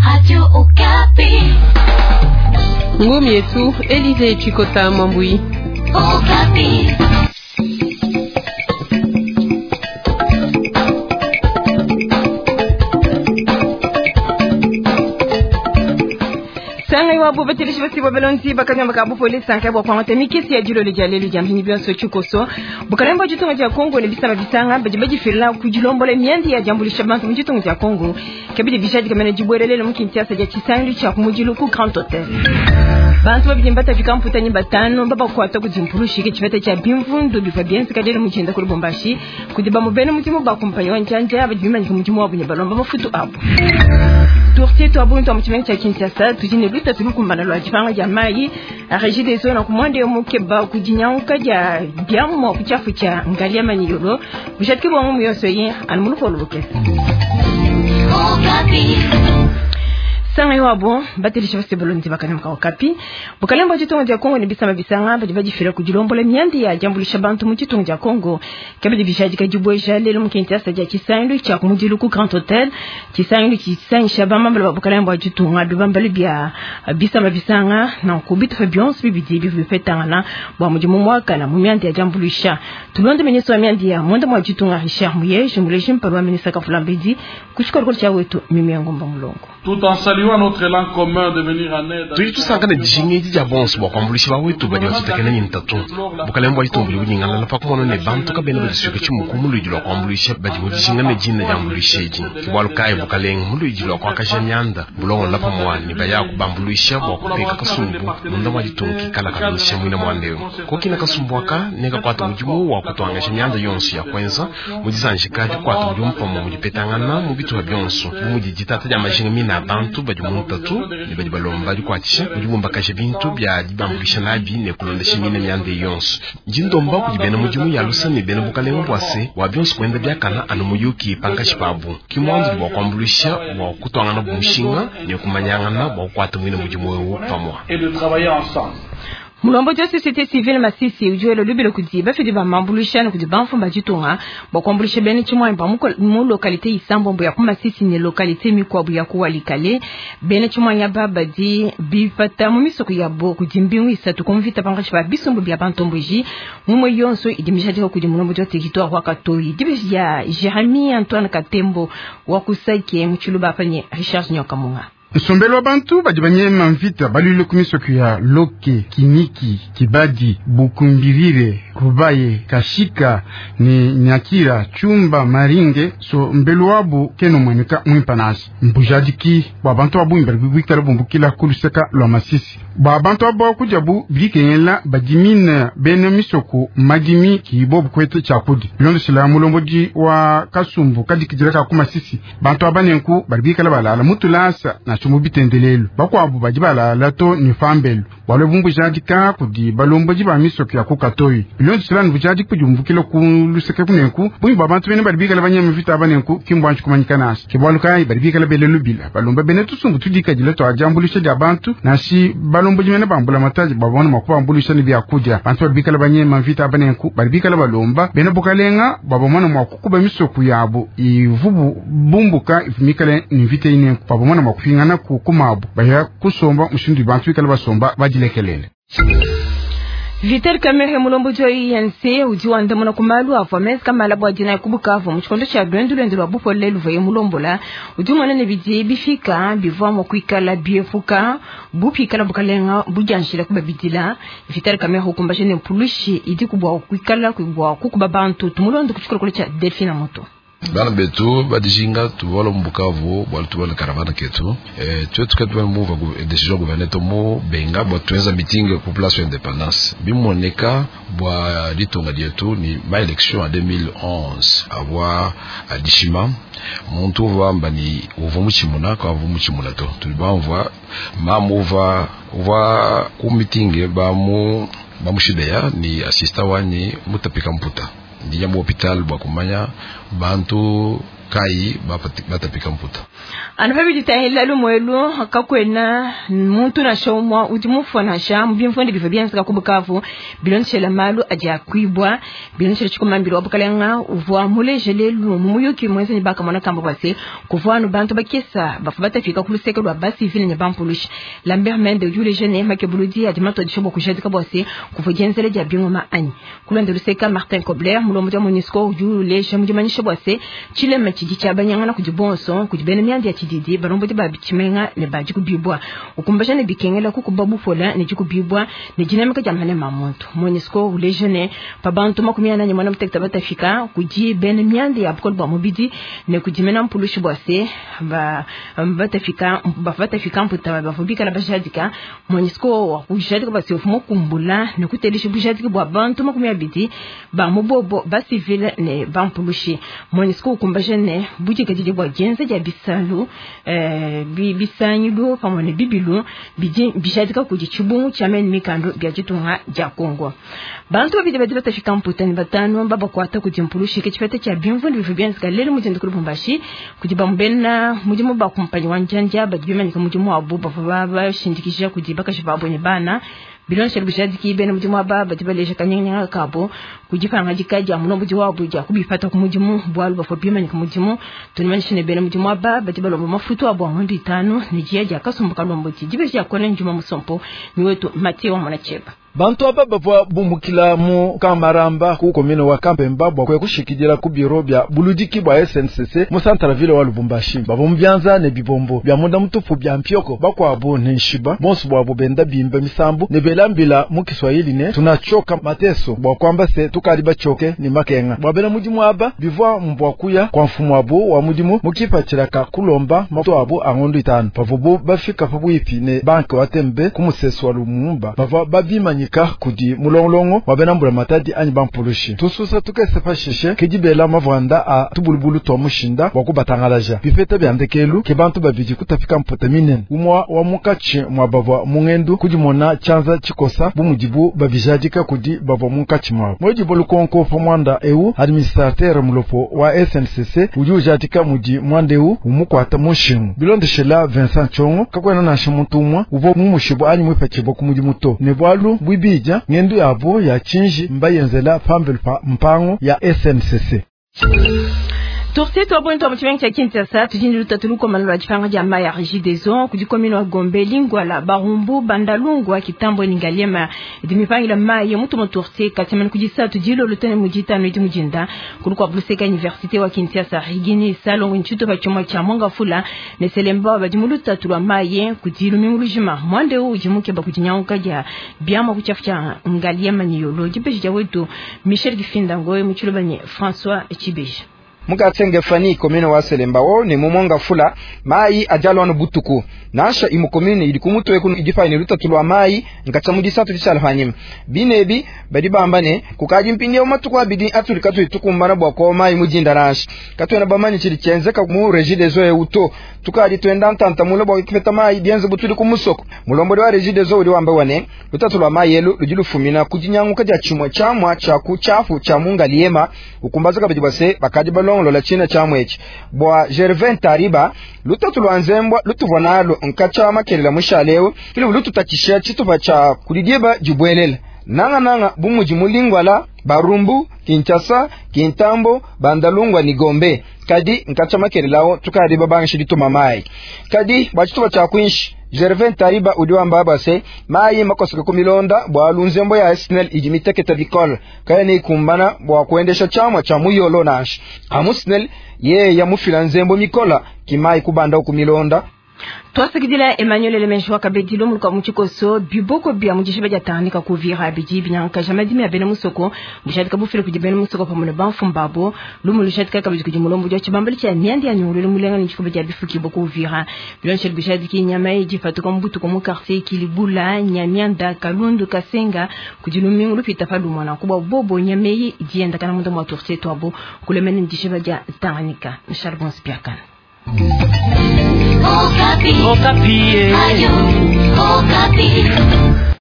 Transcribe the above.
Radio Okapi. Ngumi yetu Elize Chikota Mwambui. Okapi. Sangai wabo batelishi basi balonzi bakanyamba ka bupolisi sankai bwa kwangata mikesi ya jilo lya lelu lya mpinyi byonso chikoso bukalembo jitunga ja Kongo ne bisama bisanga baji bajifirila kujilombola myandi ya jambulisha bantu mu jitunga ja Kongo kabidi bishaji kamene jibwerelele mu Kinshasa ja chisangi cha kumujilu ku Grand Hotel. Bantu babidi mbata vikamputanyi batano babakwata kudzimpurushike chipeta cha bimvundu biva byenzi kadele muchenda kuli Lubumbashi kuti bamubene mudimu bakumpanyi wa njanja abadibimanyika mudimu wabo ne balomba mafutu abo. Turtie twabuntu wa muchimenga cha Kinshasa tujine luta tulukumbana lwa chipanga ja mayi Regideso na kumwande mukeba kujinyauka ja byamu kuchafu cha ngalia manyiyolo bushatiki bwa mu yonso yi anumuluko lukesa. Okapi. Sanga iwabo batelisha basebulonzi bakana Okapi bukalembo chitunga ja Kongo ni bisama bisanga badi bajifira kujilombola myandi ya jambulisha bantu mu chitunga ja Kongo kabidi bishaji kajibwesha lelo mu Kinshasa ja chisandu cha kumujilu ku Grand Hotel chisandu chisangisha bamambala bukalembo chitunga bibambali bya bisama bisanga na kubita fa bionso bibidi bifetangana bwa mudimu mwaka na mu myandi ya jambulisha tulonde ministre wa myandi ya mwenda mwa chitunga Richard Muyeje muleji mpalwa ministre Kafulambidi kushikolo cha wetu mimi ngomba mulongo. Tout en saluant notre élan commun de venir en aide. Tudi tusangana dijinga edi dia bonso bua kuambuluisha bawetu badi batutekena ne ntatu. Bukalenge bua ditunga budi bunyingalala pa kumona ne bantu kabena badisuika tshimuku mu luidi lua kuambuluisha badi mu dijinga ne dina diambuluisha edi. Ke bualu kayi bukalenge mu luidi lua kuakaja mianda bulongola pamua ne baya kubambuluisha bua kupeka kasumbu munda mua ditunga kikala kabanyisha muina muanda eu. Kokina kasumbu aka ne kakuata mudimu wa kutuangaja mianda yonso ya kuenza mu disanjika dikuata mudimu pamua mu dipetangana mu bitupa bionso bu mudi ditata dia majinga mina bantu badi mu ntatu ne badi balomba dikuatshisha mudi bumbakaja bintu bia dibambuluisha nabi ne kulondesha mine mianda yonso. Ndi ndomba kudi bena mudimu ya lusa ne bena bukalenga bua se bua bionso kuenda biakana anu muyuki pankashi pabu ki muandu bua kuambuluisha bua kutuangana bu mushinga ne kumanyangana bua kukuata muine mudimu eu pamua. Et de travailler ensemble. Mulombo ja société civile Masisi ujuelo lubilo kudi bafidi ba mambuluisha ne kudi bamfumba ditunga bua kuambuluisha bena tshimwanyi ba mu localité isambombo ya ku Masisi ne localité mikuabu ya ku Walikale. Bena tshimwanyi aba badi bipata mu misoko yabo kudi mbingu isatu ku mvita pankashi pa bisumbu bia bantomboji mumwe yonso idi mishadika kudi mulombo ja territoire wa Katoyi. Dibeji ya Jeremy Antoine Katembo wa kusake mu Tshiluba apa ne Richard Nyokamunga. Nsombelo wa bantu badi banyema mvita balwile ku misoko ya Loke, Kiniki, Kibadi, Bukumbirire, Rubaye, Kashika ni Nyakira, Chumba, Maringe. So mbelu wabu keno mweneka mwimpanasi mbujadiki bwa bantu babungi bali bwikala bumbukila kuluseka lwa Masisi bwa bantu abo kujabu bilikengela badimine bene misoko madimi kibo bukwete chakudi bilondesela mulombodi wa kasumbu kadikidila ka ku Masisi bantu abanenku bali bikala balala mutulasa na chumu bitendelelu bakwabo badi balala to ni fambelu bwalo bumbujadika kudi balombodi ba misoko ya kukatoyi bilondesela nubujadiki kudi bumbukila ku luseke kunenku bungi bwa bantu bene bali bikala banyema vita abanenku kimbwanji kumanyika nasi kibwalu kayi bali bikala bele lubila balomba bene tusumbu tudikadila twajambulisha dia bantu nasi balombodi mene bambula mataji babona mwakubambulisha ni byakudia bantu bali bikala banyema mvita abanenku bali bikala balomba bene bukalenga babamona mwakukuba misoko yabo ivubu bumbuka ivumikale ni mvita inenku babamona mwakupingana ku kumabu baya kusomba mushindu bantu bikala basomba badilekelele. Vital Kamerhe mulomboji wa UNC udi wandamuna ku malu avua menza kamala bua dina ku Bukavu mu tshikondo tshia luendu luende lua bupole luvuaye mulombola udi umona ne bidi bifika bivua mua kuikala biepuka bupikala bukalenga budianjila kubabidila. Vital Kamerhe ukumbaje ne mpulushi idi kubua kuikala bua kukuba bantu tumulondo ku tshikolokolo tshia Delphine Moto. Bana betu badijinga tuvola mu Bukavu bua tuvola caravane ketu tuetu ketu muva decision gouverneur to mu benga bua tuenza meeting ku place ya independance bimoneka bua litonga dietu ni ma election ya 2011 avua adishima muntu uvua amba ni uvua mutshimuna ka uvua mutshimuna to tudi bamvua mamu uvua uvua ku meeting bamu bamushibeya ni assistant wanyi mutapika mputa ndinya mu hopital bua kumanya bantu kayi batapika mputa. Anu pa bidi bitangila lumu elu, kakuena muntu nansha umue udi mufue nansha mu bimvundu bivua bienzeka ku Bukavu bilondeshile malu adi akuibua. Bilondeshile tshikumambila wa bukalenga uvua muleje lelu mu muyuki muenza ne bakamona kamba bua se, kuvua anu bantu bakesa bavua batafika ku luseke lua basivile ne bampulushi. Lambert Mende udi uleja ne, makebuludi adi matuadije bua kujadika bua se, kuvua dienzela dia bingoma anyi. Ku luende luseke, Martin Kobler, mulombodi wa MONUSCO, udi uleja mu dimanyisha bua se, tshilema tshidi tshiabanyangana kudi bonso, kudi bena mianda ya tshididi, balombodi ba tshimenga ne ba dikubibua, ukumbaja ne bikengela kukuba bupola ne dikubibua ne dinamika dia manema a muntu. MONUSCO uleja ne, pa bantu 48 batafika kudi bena mianda ya bukole bua mubidi ne kudi mena mpulushi bua se, batafika, batafika mputa bavua bikala bajadika. MONUSCO wa kujadika bua se, uvua mukumbula ne kutelisha bujadiki bua bantu 20 ba mubobo ba civil ne bampulushi. MONUSCO ukumbaja ne budikadidi bua dienza dia bisalu, bisangilu pamue ne bibilu bidi bijadika kudi tshibungu tshia mene mikando bia ditunga dia Congo. Bantu babidi badi batafika mputa ne batanu babakuata kudi mpulushi ke tshipeta tshia bimvundu bivua bienzeka lelu mu dinda ku Lubumbashi kudi bamubena mudimu ba kumpanyi wa njanja badi bimanyika mudimu wabu bavua bashindikija kudi bakaji babo ne bana. Bilondeshile bujadiki bena mudimu aba badi baleja kanyinganyinga kabo kudi pangadika dia mulombodi wabu dia kubipata ku mudimu bualu bavua bimanyika mudimu. Tunimanyishe ne bena mudimu aba badi balomba mafutu abo a ngondo itanu ne dia dia kasumbu kalombodi dibeji dia kona njuma musompo ni wetu Mathieu wa Mwanacheba. Bantu aba bavua bumukila mu Kamaramba ku komine wa Kampemba bua kuya kushikidila ku biro bia buludiki bua SNCC mu Centreville wa Lubumbashi. Bavua mu bianza ne bibombo bia munda mutupu bia mpioko, bakuabu ne nshiba, bonso buabu benda bimba misambu ne bela mbila mu Kiswahili ne tunachoka mateso, bua kuamba se tukadi bachoke ne makenga. Bua bena mudimu aba bivua mbua kuya kwa mfumu wabu wa mudimu mu kipatshila ka kulomba mafutu abu a ngondo itanu. Pavuabu bafika pabuipi ne banke wa Tembe ku musesu wa Lumumba, bavua babimanyika kudi mulongolongo wa bena mbula matadi anyi bampulushi. Tususa tukese pashishe ke dibela mavanda a tubulubulu twa mushinda wa kubatangalaja. Bipeta bia ndekelu ke bantu babidi kutapika mputa minene. Umwa wa munkatshi mwa bavua mungendu kudimona tshianza tshikosa bu mudibu babijadika kudi bavua munkatshi mwabo. Mwedi lukonko pa mwanda eu administrateur mulopo wa SNCC udi ujadika mudi mwanda eu umukwata mushingu. Bilondeshela Vincent Tshongo kakwena nansha muntu umwe uvua mumushibu anyi mwipatshibwa ku mudimu to. Ne bwalu bwibidya ngendu yabo ya chinji mbayenzela pambelu pa mpango ya SNCC. Turti twabonyi mu tshimenga tshia Kinshasa tudi lutatu lukomana lwa dipanga dia mayi a Regideso kudi komine wa Gombe, Lingwala, Barumbu, Bandalungwa, Kitambo ne Ngaliema idi mipangila mayi mutu mu Turti katimani kudi satu dilolo tene mu ditanu idi mujinda kulu kwa Bluseka Université wa Kinshasa Rigini Salongo ntshuto pa tshimua tshia Mongafula ne Selemba badi mu lutatu lwa mayi kudi lumingu lujima mwande udi mukeba kudi nyanguka dia biamua ku tshiafu tshia Ngaliema ne Yolo dipeji dia wetu Michel Kifinda Ngoyi mu tshiloba ne François Tshibeji. Mukatsenge fani komine wa Selembao ne mumonga fula mai ajalwa no butuku nasha imu komine idi kumutwe kuno idifa ne lutatu lwa mai nkacha mu disatu dishalfanyim binebi badi bamba ne kukaji mpinge matuku abidi atulika tuikumbana bwa ko mai mujinda nasha katwena bamanyi chili chenzeka mu Regideso euto tukali twenda ntanta mulo bwa kipeta mai bienze butuli kumusoko mulombo wa Regideso uli wamba wane lutatu lwa mai elu lujilufumina kujinyanguka ja chimwa chamwa cha kuchafu cha mungaliema ukumbaza kabidi base bakaji balongo lola china chamwechi bwa Gervin Tariba lutatu lwa nzembwa lutuvonalo nkacha makelela mushalewe kile lututakisha chitupa cha kulidieba jibwelela nanga nanga bumuji mulingwala Barumbu, Kinshasa, Kintambo, Bandalungwa ni Gombe kadi nkacha makelelao tukadi babangishi dituma mai kadi bachituba cha kwinshi Gervin Tariba udiwamba base mai makosoka kumilonda bwa lunzembo ya SNEL ijimiteketa bikol kaya ni kumbana bwa kuendesha chama cha muyolo nash amu SNEL ye ya mufila nzembo mikola kimai kubanda kumilonda. Twasakidila Emmanuel Elemenjo akabedilo muluka muchikoso biboko bia mujishiba ja tanganyika kuvira bidi binyanka jamadimi ya bena musoko bushadika bufile kudi bena musoko pamwe ne banfumbabo lumu lushadika kabidi kudi mulombo ja chibambali cha myandi ya nyungululu mulenga ni chikobe ja bifuki boko uvira bilonshel bushadiki nyama idi fatuka mbutu ko mu quartier Kilibula Nyamianda Kalundu Kasenga kudi lumingu lupita pa lumwana kuba bobo nyamei dienda kana mundo mwa tourte twabo kulemene ndishiba ja tanganyika Charbon Spiakana. Okapi. Okapi. Ayo, Okapi.